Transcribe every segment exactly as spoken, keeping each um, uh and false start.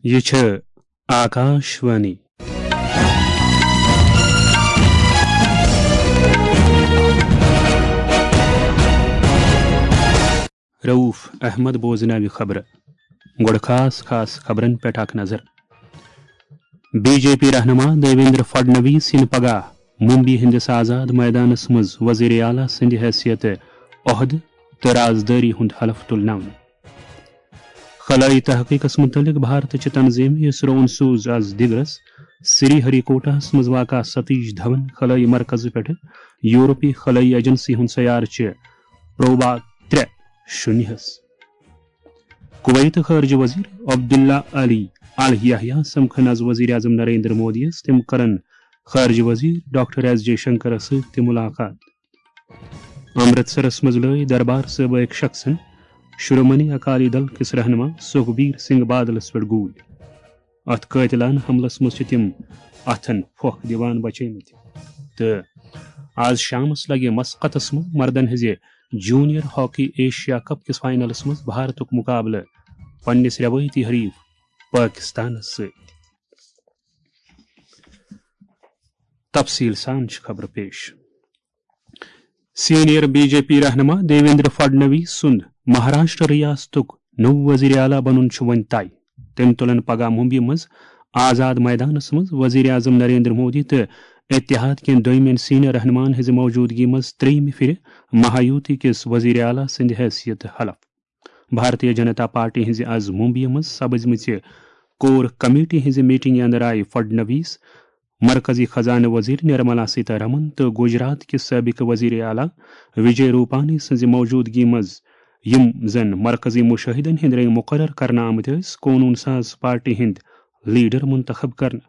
یہِ چھِ آکاش وانی۔ رؤف احمد بوزناوِ خبرٕ۔ گۄڈٕ خاص خاص خبرن پٮ۪ٹھ اکھ نظر۔ بی جے پی رہنما دیویندر فڈنویس یِن پگاہ ممبئی ہٕنٛدِس آزاد مٲدانس منٛز وزیر اعلیٰ سٕنٛدِ حیثیت عہدٕ تہٕ رازدٲری ہُنٛد حلف تُلناونہٕ۔ خلٲیی تحقیقس مُتعلق بھارتٕچہِ تنظیٖم اسروہن سوٗز از دِگرس سری ہری کوٹاہس منٛز واقع ستیش دھون خلٲیی مرکزٕ پٮ۪ٹھٕ یورپی خلٲیی ایجنسی ہُنٛد سیارچہِ پروبا ترٛےٚ شُنیہس۔ کویت خارجہ وزیر عبداللہ علی الحیہ سمکھن از وزیر اعظم نریندر مودی یس، تِم کرن خارجہ وزیر ڈاکٹر ایس جے شنکرس سۭتۍ تہِ ملاقات۔ امرتسرس منٛز لٲج دربار صٲبٕکۍ شخصن شرومنی اکالی دل کِس رہنما سکھبیر سنگھ بادلس پٮ۪ٹھ گوٗلۍ۔ اتھ قٲتلانہٕ حملس منٛز چھِ تِم اتھن پھۄکھ دِوان بچیمٕتۍ۔ تہٕ از شامس لگہِ مسقطس منٛز مردن ہٕنٛزِ جونیئر ہاکی ایشیا کپ کِس فائنلس منٛز بھارتُک مقابلہٕ پننِس روایتی حریف پٲکِستانس سۭتۍ۔ تفصیٖل سان چھِ خبرٕ پیش۔ سینئر بی جے پی رہنما دیویندر فڈنویس سُنٛد مہاراشٹر ریاستُک نوٚو وزیر اعلیٰ بنُن چھُ وۄنۍ طے۔ تٔمۍ تُلن پگاہ ممبئی منٛز آزاد مٲدانس منٛز وزیر اعظم نریندر مودی تہٕ اتحاد کٮ۪ن دوٚیمٮ۪ن سینئر رہنماہن ہٕنٛزِ موجودگی منٛز ترٛیٚیِمہِ پھِرِ مہایوتی کِس وزیر اعلیٰ سٕنٛدِ حیثیت حلف۔ بھارتیہ جنتا پارٹی ہٕنٛزِ از ممبئی منٛز سپزمٕژِ کور کمیٹی ہٕنٛزِ میٹنگہِ اندر آیہِ فڈنویس، مرکزی خزانہٕ وزیر نرملا سیتارمن تہٕ گجرات کہِ سابق وزیر اعلیٰ وجے روپانی سٕنٛزِ موجودگی منٛز، یِم زن مرکزی مشاہدن ہٕنٛدۍ رٔنگۍ مقرر کرنہٕ آمٕتۍ ٲسۍ، قونوٗن ساز پارٹی ہٕنٛدۍ لیڈر منتخب کرنہٕ۔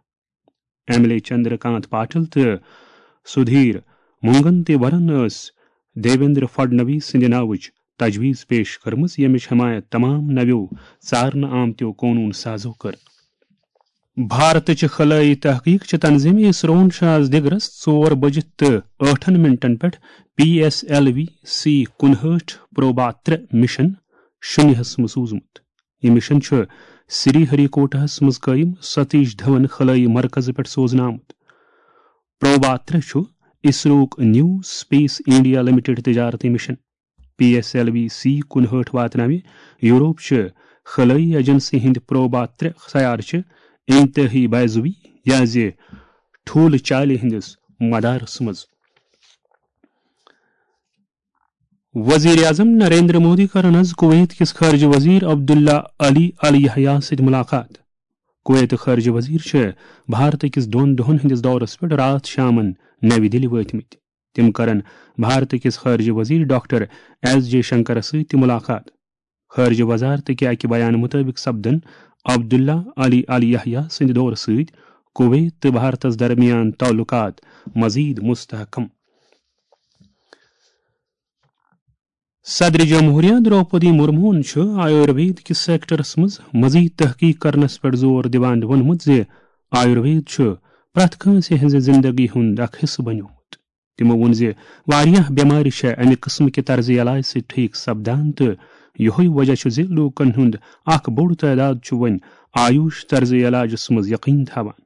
ایم ایل اے چندر کانت پاٹل تہٕ سدھیر مونگنتیورن ٲس دیویندر فڈنویس سٕنٛدِ ناوٕچ تجویز پیش کٔرمٕژ، ییٚمِچ حمایت تمام نویو ژارنہٕ آمتیو قونوٗن سازو کٔر۔ بھارتٕچ خلٲیی تحقیق چہِ تنظیٖم اسروہن چھُ آز دِگرس ژور بجہِ تہٕ ٲٹھن منٹن پٮ۪ٹھ P S L V C کُنہٲٹھ پروبا ترٛےٚ مشن شُنیہس منٛز سوٗزمُت۔ یہِ مشن چھُ سری ہری کوٹاہس منٛز قٲیِم ستیش دھون خلٲیی مرکزٕ پٮ۪ٹھ سوزنہٕ آمُت۔ پروبا ترٛےٚ چھُ اسروک نیو سپیس انڈیا لمیٹڈ تجارتی mission. P S L V C کُنہٲٹھ واتناوِ یورپ چہِ خلٲیی ایجنسی ہٕنٛدِ پروبا ترٛےٚ سیارچہِ انتہٲئی بیضوی یا زِ ٹھوٗلہٕ چالہِ ہٕنٛدِس مدارس منٛز۔ وزیر اعظم نریندر مودی کرن از کویت کِس خارجہ وزیر عبداللہ علی الحیہ سۭتۍ ملاقات۔ کویت خارجہ وزیر چھِ بھارت کِس دۄن دۄہن ہٕنٛدِس دورس پٮ۪ٹھ راتھ شامن نَوِ دِلہِ وٲتمٕتۍ۔ تِم کرن بھارت کِس خارجہ وزیر ڈاکٹر ایس جے شنکرس سۭتۍ تہِ ملاقات۔ خارجہ وزارت کہِ اکہِ بیان مطٲبق سپدن عبداللہ علی الحیہ سٕنٛدِ دورٕ سۭتۍ کویت تہٕ بھارتس درمیان تعلقات مزید مستحکم۔ صدر جمہوریہ درٛوپدی مرموہن چھُ آیوروید کِس سیکٹرس منٛز مزید تحقیق کرنس پٮ۪ٹھ زور دِوان ووٚنمُت زِ آیوروید چھُ پرٛٮ۪تھ کٲنٛسہِ ہٕنٛزِ زندگی ہُنٛد اکھ حصہٕ بنیومُت۔ تِمو ووٚن زِ واریاہ بٮ۪مارِ چھےٚ امہِ قٕسمہٕ کہِ طرزِ علاج سۭتۍ ٹھیک سپدان، تہٕ یِہوٚے وجہ چھُ زِ لوٗکن ہُنٛد اکھ بوٚڑ تعداد چھُ وۄنۍ آیوش طرزِ علاجس منٛز یقین تھاوان۔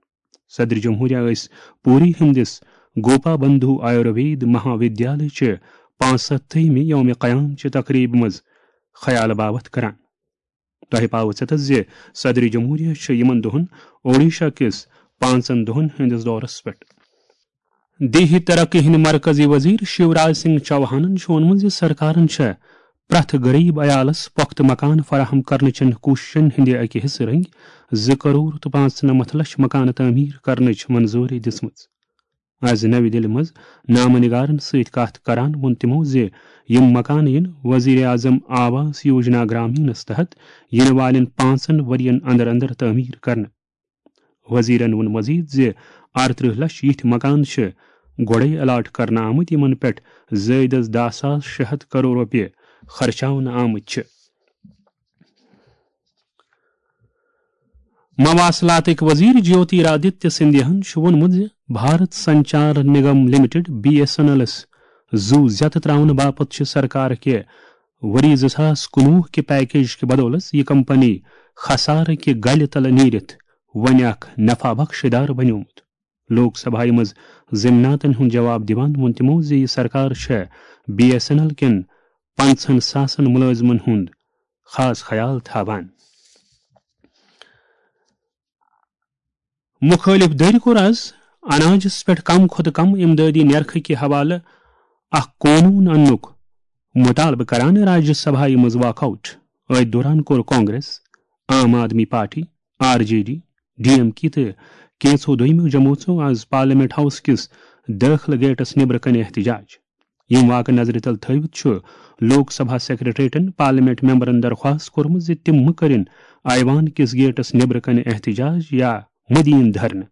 صدر جمہوریہ ٲسۍ پوری ہٕنٛدِس گوپا بندھو آیوروید مہا ودیالے چہِ پانٛژستتھمہِ یوم قیام چہِ تقریبہِ منٛز خیال باوتھ کران۔ تۄہہِ پاوٕ ژٮ۪تس زِ صدر جمہوریہ چھُ یِمن دۄہن اوڈیشہ کِس پانٛژن دۄہن ہٕنٛدِس دورس پٮ۪ٹھ۔ دیہی ترقی ہٕنٛدۍ مرکزی وزیر شیوراج سنگھ چوہانن چھُ ووٚنمُت زِ سرکارن چھےٚ پرٛٮ۪تھ غریب عیالس پۄختہٕ مکان فراہم کرنہٕ چٮ۪ن کوٗششن ہٕنٛدِ اکہِ حصہٕ رٔنگۍ زٕ کرور تہٕ پانٛژنمتھ لچھ مکانہٕ تعمیٖر کرنٕچ منظوٗری دِژمٕژ۔ از نَوِ دِلہِ منٛز نامہ نگارن سۭتۍ کتھ کران ووٚن تِمو زِ یِم مکانہٕ یِن وزیر اعظم آواس یوجنا گرامینس تحت یِنہٕ والٮ۪ن پانٛژن ؤرین اندر اندر تعمیٖر کرنہٕ۔ وزیرن ووٚن مزید زِ ارترٕہ لچھ یِتھۍ مکان چھِ گۄڈَے الاٹ کرنہٕ آمٕتۍ، یِمن پٮ۪ٹھ زٲیدس دَہ ساس شےٚ ہتھ کرور رۄپیہِ خرچاونہٕ آمٕتۍ چھِ۔ مواصلاتٕکۍ وزیر جیوتی رادتیہ سندھیاہن چھُ ووٚنمُت زِ Bharat Sanchar Nigam limited, B S N ایلس زُو زیتہٕ تراونہٕ باپتھ چھِ سرکار کہِ ؤری زٕ ساس کُنوُہ کہِ پیکیج کہِ بدولس یہِ کمپنی خسارٕ کہِ گلہِ تلہٕ نیٖرِتھ وۄنۍ اکھ نفع بخش ادارٕ بنیومُت۔ لوک سبھایہِ منٛز ضمناتن ہُنٛد جواب دِوان ووٚن تِمو زِ یہِ سرکار چھےٚ بی ایس این ایل کٮ۪ن پنٛژہن ساسن مُلٲزمن ہُنٛد خاص خیال تھاوان۔ مُخٲلِف دٔرۍ کوٚر از اناجس پٮ۪ٹھ کم کھۄتہٕ کم امدادی نرخہٕ کہِ حوالہٕ اکھ قونوٗن اننُک مُطالبہٕ کران راجیہ سبھایہِ منٛز واک آوٹ۔ أتھۍ دوران کوٚر Congress, Aam Aadmi party, R J D, D M K تہٕ کینٛژھو دوٚیمو جمٲژو از پارلیمنٹ ہاؤس کِس دٲخلہٕ گیٹس نیبرٕ کنہِ احتجاج۔ یِم واقعہٕ نظرِ تل تھٲوِتھ چھُ لوک سبھا سیکرٹریٹن پارلیمنٹ ممبرن درخواست کوٚرمُت زِ تِم مہٕ کٔرِن ایوان کِس گیٹس نیبرٕ کنہِ احتجاج یا مدین دھرنہٕ۔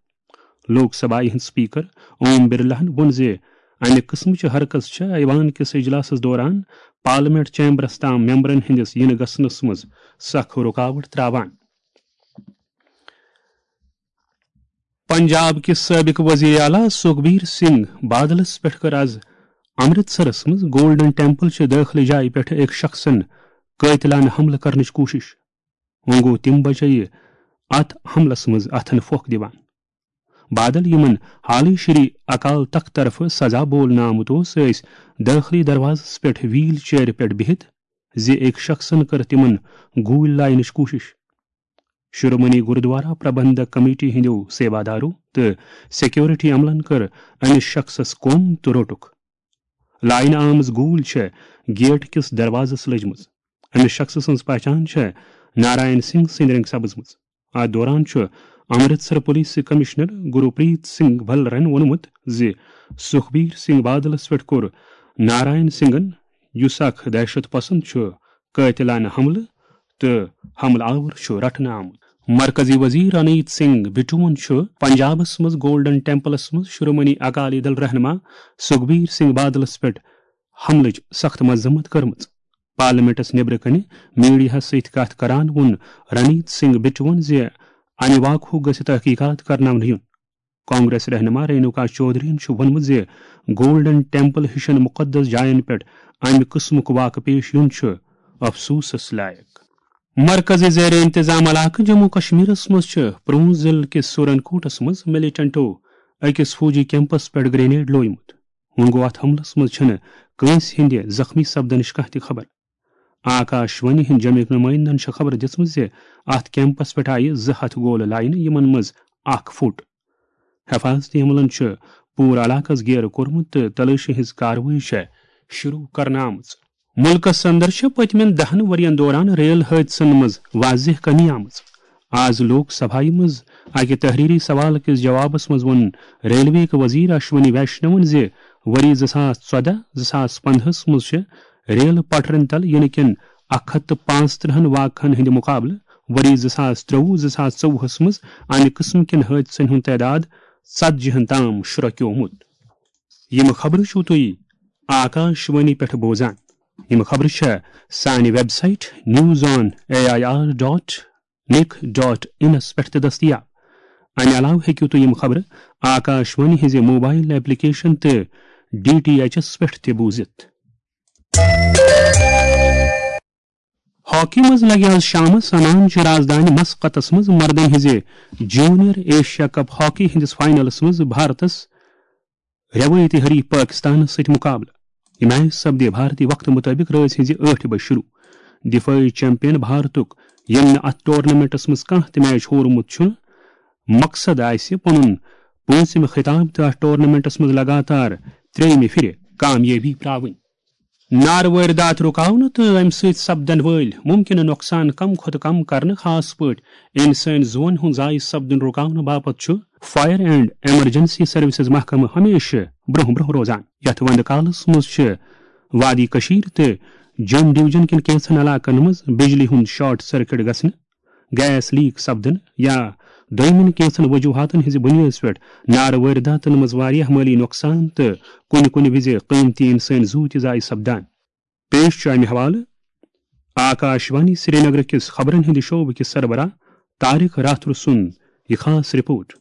لوک سبھایہِ ہٕنٛدۍ سپیکر اوم برلاہن ووٚن زِ امہِ قٕسمٕچہِ حرکژ چھےٚ ایوان کِس اجلاسس دوران پارلیمنٹ چیمبرس تام ممبرن ہٕنٛدِس یِنہٕ گژھنس منٛز سخ رُکاوٹ تراوان۔ پنجاب کِس سٲبِق وزیر اعلیٰ سُکھبیر سنگھ بادلس پٮ۪ٹھ کٔر از امرتسرس منٛز گولڈن ٹیمپل چہِ دٲخلہٕ جایہِ پٮ۪ٹھ أکۍ شخصن قٲتلانہٕ حملہٕ کرنٕچ کوٗشش۔ وۄنۍ گوٚو تِم بچٲیہِ اتھ حملس منٛز اتھن پھۄکھ دِوان۔ بادل، یِمن حالٕے شری اکال تخت طرفہٕ سزا بولنہٕ آمُت اوس، ٲسۍ دٲخلی دروازس پٮ۪ٹھ ویل چیئرِ پٮ۪ٹھ بِہِتھ زِ أکۍ شخصن کٔر تِمن گوٗلۍ لاینٕچ کوٗشش۔ شرومنی گردوارا پربندھک کمیٹی ہٕنٛدیو سیوادارو تہٕ سیکیورٹی عملن کٔر أمِس شخصس کوٚم تہٕ روٚٹُکھ۔ لاینہٕ آمٕژ گوٗلۍ چھےٚ گیٹ کِس دروازس لٔجمٕژ۔ أمِس شخصہٕ سٕنٛز پہچان چھےٚ نارائن سنگھ سٕنٛدِ رنٛگہٕ سپٕزمٕژ۔ اتھ دوران چھُ امرتسر پولیس کمشنر گروپریت سنگھ بھلرن ووٚنمُت زِ سُکھبیر سنگھ بادلس پٮ۪ٹھ کوٚر نارائن سنگھن، یُس اکھ دہشت پسند چھُ، قٲتلانہٕ حملہٕ تہٕ حملہٕ آور چھُ رٹنہٕ آمُت۔ مرکزی وزیر رنیت سنگھ بٹوَن چھُ پنجابس منٛز گولڈن ٹیمپلس منٛز شرومنی اکالی دل رہنما سُکھبیر سنگھ بادلس پٮ۪ٹھ حملٕچ سخت مذمت کٔرمٕژ۔ پارلیمنٹس نیبرٕ کنہِ میڈیاہس سۭتۍ کتھ کران ووٚن رنیت سنگھ بٹوَن زِ امہِ واقعُک گژھِ تحقیقات کرناونہٕ یُن۔ کانگریس رہنما رینوکا چودھرین چھُ ووٚنمُت زِ گولڈن ٹیمپل ہِشن مُقدس جاین پٮ۪ٹھ امہِ قٕسمُک واقعہٕ پیش یُن چھُ افسوسس لایق۔ مرکزی زیر انتظام علاقہٕ جموں کشمیرس منٛز چھِ پرون ضلعہٕ کِس سورن کوٹس منٛز ملیٹنٹو أکِس فوجی کیمپس پٮ۪ٹھ گرینیڈ لویمُت۔ وۄنۍ گوٚو، اتھ حملس منٛز چھِنہٕ کٲنٛسہِ ہٕنٛدِ زخمی سپدنٕچ کانٛہہ تہِ خبر۔ آکاش وانی ہٕنٛدۍ جمعیک نمٲیندن چھِ خبر دِژمٕژ زِ اتھ کیمپس پٮ۪ٹھ آیہِ زٕ ہتھ گولہٕ لاینہٕ، یِمن منٛز اکھ پھُٹ۔ حفاظتی عملن چھُ پوٗرٕ علاقس گیرٕ کوٚرمُت تہٕ تلٲشی ہٕنٛز کاروٲیی چھےٚ شروع کرنہٕ آمٕژ۔ مُلکس اندر چھِ پٔتمٮ۪ن دَہن ؤرین دوران ریل حٲدثن منٛز واضح کمی آمٕژ۔ آز لوک سبھایہ منٛز اکہِ تحریری سوال کِس جوابس منٛز ووٚن ریلوے کہِ وزیر اشونی ویشنون زِ ؤری زٕ ساس ژۄدہ زٕ ساس پندہس منٛز چھِ ریل پٹرٮ۪ن تل یِنہٕ کٮ۪ن اکھ ہتھ تہٕ پانٛژترٕہن واقعن ہٕنٛدِ مُقابلہٕ ؤری زٕ ساس ترٛۆوُہ زٕ ساس ژوٚوُہس منٛز امہِ قٕسمہٕ کٮ۪ن حٲدثن ہُنٛد تعداد ژتجی ہن تام شرۄکیومُت۔ یِم خبرٕ چھِو تُہۍ آکاش وانی پٮ۪ٹھ بوزان۔ یِم خبرٕ چھےٚ سانہِ website news on A I R dot nic dot انس پٮ۪ٹھ تہِ دٔستیاب۔ امہِ علاوٕ ہیٚکِو تُہۍ یِم خبرٕ آکاش وانی ہٕنٛزِ موبائل ایپلیکیشن تہٕ ڈی ٹی ایچ ایس پٮ۪ٹھ تہِ بوٗزِتھ۔ ہاکی منٛز لگہِ آز شامس سنان چہِ رازدانہِ مسقطس منٛز مردن ہٕنٛزِ جونیئر ایشیا کپ ہاکی ہٕنٛدِس فائنلس منٛز بھارتس روایتی حریف پاکستانس سۭتۍ مقابلہٕ۔ یہِ میچ سپدِ بھارتی وقتہٕ مُطٲبِق رٲژ ہٕنٛزِ ٲٹھِ بجہِ شروع۔ دفٲعی چیمپئن بھارتُک، ییٚمۍ نہٕ اتھ ٹورنامنٹس منٛز کانٛہہ تہِ میچ ہورمُت چھُ، مقصد آسہِ پنُن پوٗنٛژِم خطاب تہٕ اتھ ٹورنامنٹس منٛز لگاتار ترٛیٚیِمہِ پھِرِ کامیٲبی پراوٕنۍ۔ نارٕ وٲرۍ داتھ رُکاونہٕ تہٕ امہِ سۭتۍ سپدن وٲلۍ مُمکنہٕ نۄقصان کم کھۄتہٕ کم کرنہٕ، خاص پٲٹھۍ انسٲنی زُوَن ہُنٛد ضایع سپدُن رُکاونہٕ باپتھ چھُ فائر اینڈ ایمرجنسی سروسز محکمہٕ ہمیشہٕ برٛونٛہہ برٛونٛہہ روزان۔ یتھ وندٕ کالس منٛز چھِ وادی کشیر تہٕ جوٚم ڈویژن کٮ۪ن کینٛژن علاقن منٛز بجلی ہُنٛد شارٹ سرکٹ گژھنہٕ، گیس لیک سپدٕنہٕ یا دوٚیمٮ۪ن کینٛژن وجوہاتن ہٕنٛزِ بُنیٲدس پٮ۪ٹھ نارٕ وٲرۍ داتن منٛز واریاہ مٲلی نۄقصان تہٕ کُنہِ کُنہِ وِزِ قۭمتی انسٲنی زُو تہِ ضایع سپدان۔ پیش چھُ امہِ حوالہٕ آکاش وانی سرینگر کِس خبرن ہٕنٛدِ شعبہٕ کِس سربراہ طارق راتھر سُنٛد یہِ خاص رپورٹ۔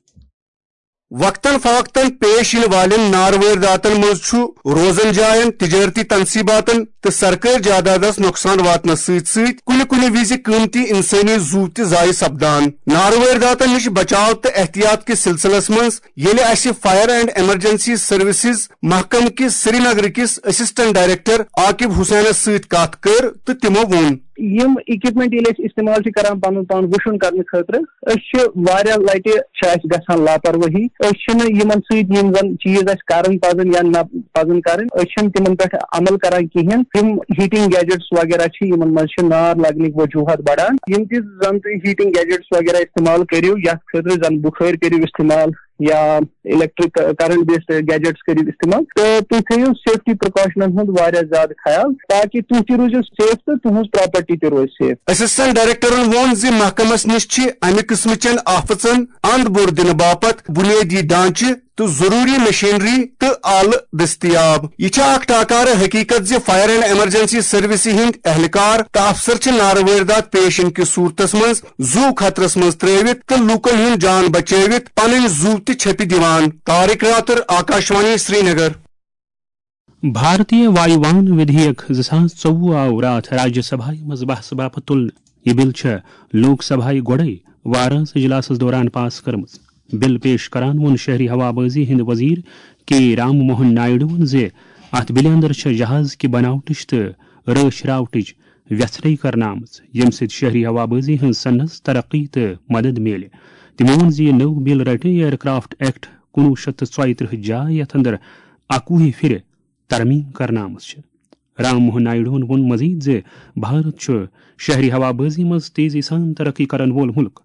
وقتاً فوقتاً پیش یِنہٕ والٮ۪ن نارٕ وٲرۍ داتن منٛز چھُ روزن جاین، تجٲرتی تنصیباتن تہٕ سرکٲرۍ جادادس نۄقصان واتنس سۭتۍ سۭتۍ کُنہِ کُنہِ وِزِ قۭمتی انسٲنی زُو تہِ ضایع سپدان۔ نارٕ وٲرۍ داتن نِش بچاو تہٕ احتیاط کِس سلسلس منٛز ییٚلہِ اسہِ فائر اینڈ ایمرجنسی سروسز محکمہٕ کِس سرینگر کِس اسسٹنٹ ڈائریکٹر عاقب حسینس سۭتۍ کتھ کٔر تہٕ تِمو ووٚن۔ یِم اکوپمنٹ ییٚلہِ أسۍ استعمال چھِ کران پنُن پان وُشُن کرنہٕ خٲطرٕ، أسۍ چھِ واریاہ لٹہِ چھِ اَسہِ گژھان لاپروٲہی۔ أسۍ چھِنہٕ یِمن سۭتۍ یِم زن چیٖز اَسہِ کرٕنۍ پزن یا نہ پزن کرٕنۍ، أسۍ چھِنہٕ تِمن پٮ۪ٹھ عمل کران کِہینۍ۔ تِم ہیٹنگ گیجٹس وغیرہ چھِ، یِمن منٛز چھِ نار لگنٕکۍ وجوہات بڑان۔ یِم تہِ زن تُہۍ ہیٹنگ گیجٹس وغیرہ استعمال کٔرِو، یتھ خٲطرٕ زن بُخٲرۍ کٔرِو استعمال یا الیکٹرک کرنٹ بیسڈ گیجٹس کٔرِو استعمال، تہٕ تُہۍ تھٲیِو سیفٹی پریکاشنن ہُنٛد واریاہ زیادٕ خیال، تاکہِ تُہۍ تہِ روٗزِو سیف تہٕ تُہنٛز پراپرٹی تہِ روزِ سیف۔ اسسٹنٹ ڈائریکٹرن ووٚن زِ محکمس نِش چھِ امہِ قٕسمٕچٮ۪ن آفتژن اند بوٚر دِنہٕ باپتھ بُنیٲدی ڈھانچہٕ تہٕ ضروٗری مشینری تہٕ آلہٕ دٔستیاب۔ یہِ چھےٚ اکھ ٹاکارٕ حقیقت زِ فائر اینڈ ایمرجنسی سروسہِ ہٕنٛدۍ اہلکار تہٕ افسر چھِ نارٕ وٲرۍ داتھ پیش یِنہٕ کِس صورتس منٛز زُو خطرس منٛز ترٲوِتھ تہٕ لوٗکن ہُنٛد جان بچٲوِتھ پنٕنۍ زُو تہِ چھپہِ دِوان۔ طارق راتر، آکاشوانی، سرینگر۔ بھارتیہ وایوان ودھیک زٕ ساس ژوٚوُہ آو راتھ راجیہ سبھایہ منٛز بحث باپتھ تُلنہٕ۔ یہِ بل چھےٚ لوک سبھایہ گۄڈَے وارانس اجلاسس دوران پاس کٔرمٕژ۔ بل پیش کران ووٚن شہری ہوابازی ہٕنٛدۍ وزیر کے رام موہن نائیڈوَن زِ اتھ بلہِ اندر چھےٚ جہاز کہِ بناوٹٕچ تہٕ رٲچھ راوٹٕچ ویژھرے کرنہٕ آمٕژ، ییٚمہِ سۭتۍ شہری ہوابازی ہٕنٛز صنعتس ترقی تہٕ مدد میلہِ۔ تٔمۍ ووٚن زِ یہِ نٔو بل رٹہِ ایئر کرافٹ ایکٹ کُنوُہ شیٚتھ تہٕ ژۄیہِ ترٕٛہ جاے، یتھ اندر اکوُہہِ پھرِ ترمیم کرنہٕ آمٕژ چھِ۔ رام موہن نائیڈوہن ووٚن مزید زِ بھارت چھُ شہری ہوابازی منٛز تیزی سان ترقی کرن وول ملک۔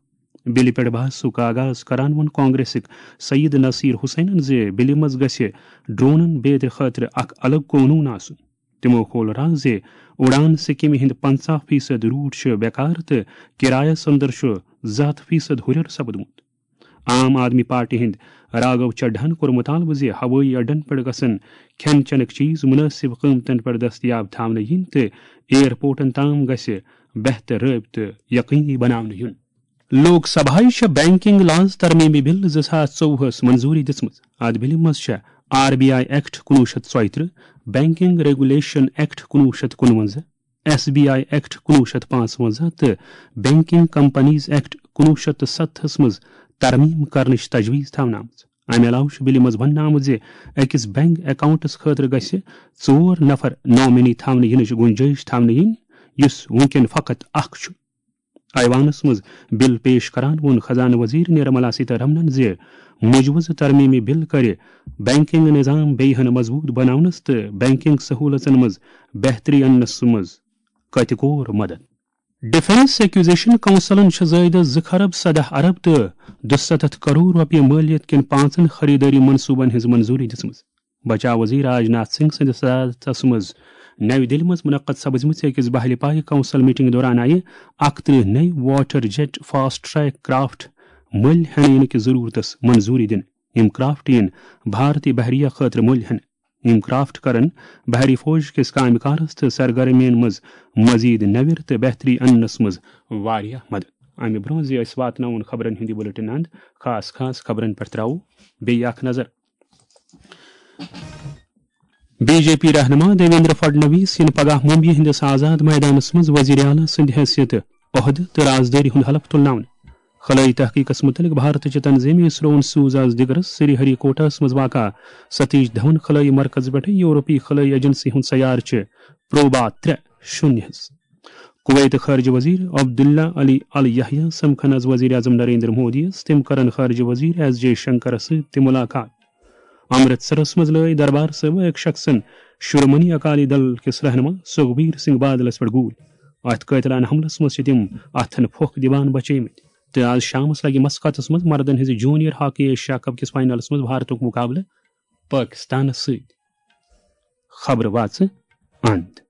بلہِ پٮ۪ٹھ بحثُک آغاز کران ووٚن کانگریسٕکۍ سید نصیر حسینن زِ بلہِ منٛز گژھِ ڈرونن بیترِ خٲطرٕ اکھ الگ قونوٗن آسُن۔ تِمو کھول راز زِ اڑان سکیمہِ ہٕنٛدۍ پنژاہ فیصد روٹ چھِ بیکار تہٕ کرایس اندر چھُ زٕ ہتھ فیصد ہُرٮ۪ر سپدمُت۔ عام آدمی پارٹی ہٕنٛدۍ راگھو چڈھاہن کوٚر مطالبہٕ زِ ہوٲیی اڈن پٮ۪ٹھ گژھن کھٮ۪ن چٮ۪نٕکۍ چیز مناسب قۭمتن پٮ۪ٹھ دٔستیاب تھاونہٕ یِنۍ تہٕ ایئرپورٹن تام گژھِ بہتر رٲبطہٕ یقینی بناونہٕ یُن۔ لوک سبھایہ چھےٚ بینکنگ لاز ترمیمی بل زٕ ساس ژوٚوُہس منظوری دِژمٕژ۔ اتھ بلہِ منٛز چھےٚ آر بی آئی ایکٹ کُنوُہ شیٚتھ ژۄیہِ ترٕٛہ، بینکنگ ریگولیشن ایکٹ کُنوُہ شیٚتھ کُنوَنزاہ، ایس بی آئی ایکٹ کُنوُہ شیٚتھ پانٛژوَنزاہ تہٕ بینکنگ کمپنیز ایکٹ کُنوُہ شیٚتھ تہٕ ستتھس منٛز ترمیم کرنٕچ تجویز تھاونہٕ آمٕژ۔ امہِ علاوٕ چھُ بلہِ منٛز وننہٕ آمُت زِ أکِس بینک اکاؤنٹس خٲطرٕ گژھِ ژور نفر نامنی تھاونہٕ یِنٕچ گنجائش تھاونہٕ یِنۍ، یُس وُنکٮ۪ن فقط اکھ چھُ۔ ایوانس منٛز بل پیش کران ووٚن خزانہٕ وزیر نرملا سیتارمنن زِ مجوزٕ ترمیمی بل کرِ بینکنگ نظام بیٚیہِ ہن مضبوط بناونس تہٕ بینکنگ سہولژن منٛز بہتری اننس منٛز قطعی کور مدد۔ ڈیفنس ایکوزیشن کونسلن چھِ زٲیدٕ زٕ خرب سداہ ارب تہٕ دُستتھ کرور رۄپیہِ مٲلیت کٮ۪ن پانٛژن خریدٲری منصوبن ہٕنٛز منظوری دِژمٕژ۔ بچاو وزیر راج ناتھ سنگھ سٕنٛدِس صدارتس منٛز نَوِ دِلہِ منٛز منعقد سپزمٕژ أکِس بحلہِ پایہِ کونسل میٹنگ دوران آیہِ اکترٕہ نٔوۍ water jet fast track craft مٔلۍ ہٮ۪نہٕ یِنہٕ کِس ضروٗرتس منظوٗری دِنہٕ۔ یِم کرافٹ یِن بھارتی بحریہ خٲطرٕ مٔلۍ ہٮ۪نہٕ۔ یِم کرافٹ کرن بحری فوج کِس کامہِ کارس تہٕ سرگرمیَن منٛز مزید نویر تہٕ بہتری اننس منٛز واریاہ مدد۔ امہِ برونٛہہ زِ أسۍ واتناوون خبرن ہُنٛد یہِ بلیٹن اند، خاص خاص خبرن پٮ۪ٹھ تراوو بیٚیہِ اکھ نظر۔ بی جے پی رہنما دیویندر فڈنویس یِن پگاہ ممبیہِ ہٕنٛدِس آزاد میدانس منٛز وزیر اعلیٰ سٕنٛدِ حیثیت عہدٕ تہٕ رازدٲری ہُنٛد حلف تُلناونہٕ۔ خلٲیی تحقیقس مُتعلق بھارتٕچہِ تنظیٖم اسروہن سوٗز از دِگرس سری ہری کوٹاہس منٛز واقع ستیش دھون خلٲیی مرکز پٮ۪ٹھٕ یورپی خلٲیی ایجنسی ہُنٛد سیارٕچہِ پروبا ترٛےٚ شوٗنیہس۔ کویتٕکۍ خارجہ وزیر عبداللہ علی ال یحییٰ سمکھن از وزیر اعظم نریندر مودیَس، تِم کرن خارجہ وزیر ایس جے شنکرس سۭتۍ تہِ ملاقات۔ امرتسرس منٛز لٲگۍ دربار صٲبہٕ أکۍ شخصن شرومنی اکالی دل کِس رہنما سکھبیر سنگھ بادلس پٮ۪ٹھ گوٗلۍ۔ اتھ قٲتلانہٕ حملس منٛز چھِ تِم اتھن پھۄکھ دِوان بچیمٕتۍ۔ تہٕ از شامس لگہِ مسقطس منٛز مردن ہٕنٛزِ جونیئر ہاکی ایشیا کپ کِس فائنلس منٛز بھارتُک مقابلہٕ پٲکِستانس سۭتۍ۔ خبرٕ واژٕ اند۔